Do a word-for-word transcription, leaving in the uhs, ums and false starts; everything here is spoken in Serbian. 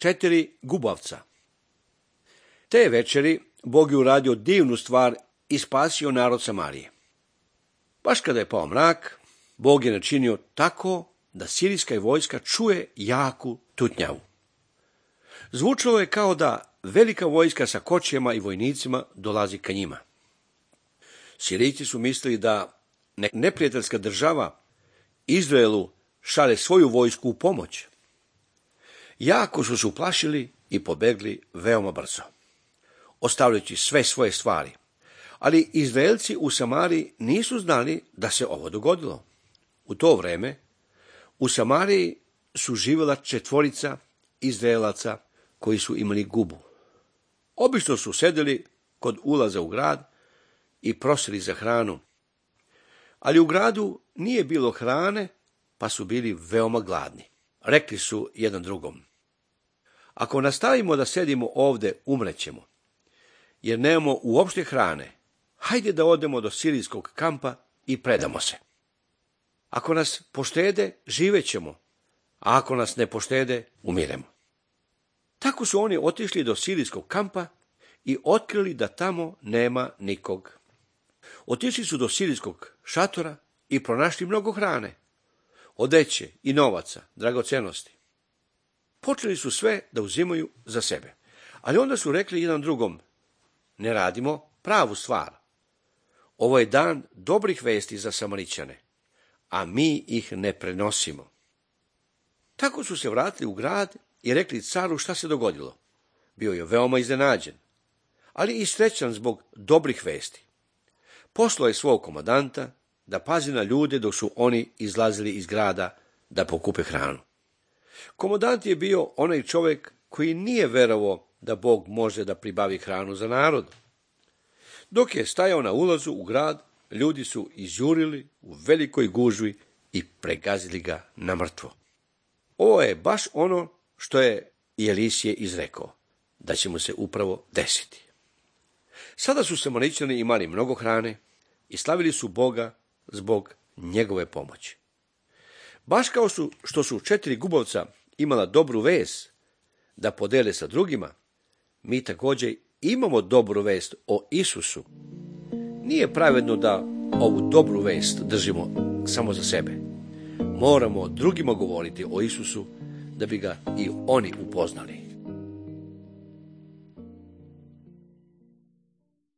četiri gubavca. Te večeri Bog je uradio divnu stvar i spasio narod Samarije. Baš kada je pao mrak, Bog je načinio tako da sirijska vojska čuje jaku tutnjavu. Zvučalo je kao da velika vojska sa kočijama i vojnicima dolazi ka njima. Sirijci su mislili da neprijateljska država Izraelu šalje svoju vojsku u pomoć. Jako su se uplašili i pobegli veoma brzo, ostavljajući sve svoje stvari. Ali Izraelci u Samariji nisu znali da se ovo dogodilo. U to vreme u Samariji su živjela četvorica Izraelaca koji su imali gubu. Obično su sedeli kod ulaza u grad i prosili za hranu. Ali u gradu nije bilo hrane, pa su bili veoma gladni. Rekli su jedan drugom: ako nastavimo da sedimo ovde, umrećemo, jer nemamo uopšte hrane. Hajde da odemo do sirijskog kampa i predamo se. Ako nas poštede, živećemo, a ako nas ne poštede, umiremo. Tako su oni otišli do sirijskog kampa i otkrili da tamo nema nikog. Otišli su do sirijskog šatora i pronašli mnogo hrane, odeće i novaca, dragocenosti. Počeli su sve da uzimaju za sebe, ali onda su rekli jedan drugom: ne radimo pravu stvar. Ovo je dan dobrih vesti za Samarićane, a mi ih ne prenosimo. Tako su se vratili u grad i rekli caru šta se dogodilo. Bio je veoma iznenađen, ali i srećan zbog dobrih vesti. Poslao je svog komandanta da pazi na ljude dok su oni izlazili iz grada da pokupe hranu. Komandant je bio onaj čovjek koji nije verovao da Bog može da pribavi hranu za narod. Dok je stajao na ulazu u grad, ljudi su izjurili u velikoj gužvi i pregazili ga na mrtvo. Ovo je baš ono što je i Elisije izrekao, da će mu se upravo desiti. Sada su Samarićani imali mnogo hrane i slavili su Boga zbog njegove pomoći. Baš kao su, što su četiri gubavca imala dobru vest da podele sa drugima, mi također imamo dobru vest o Isusu. Nije pravedno da ovu dobru vest držimo samo za sebe. Moramo drugima govoriti o Isusu da bi ga i oni upoznali.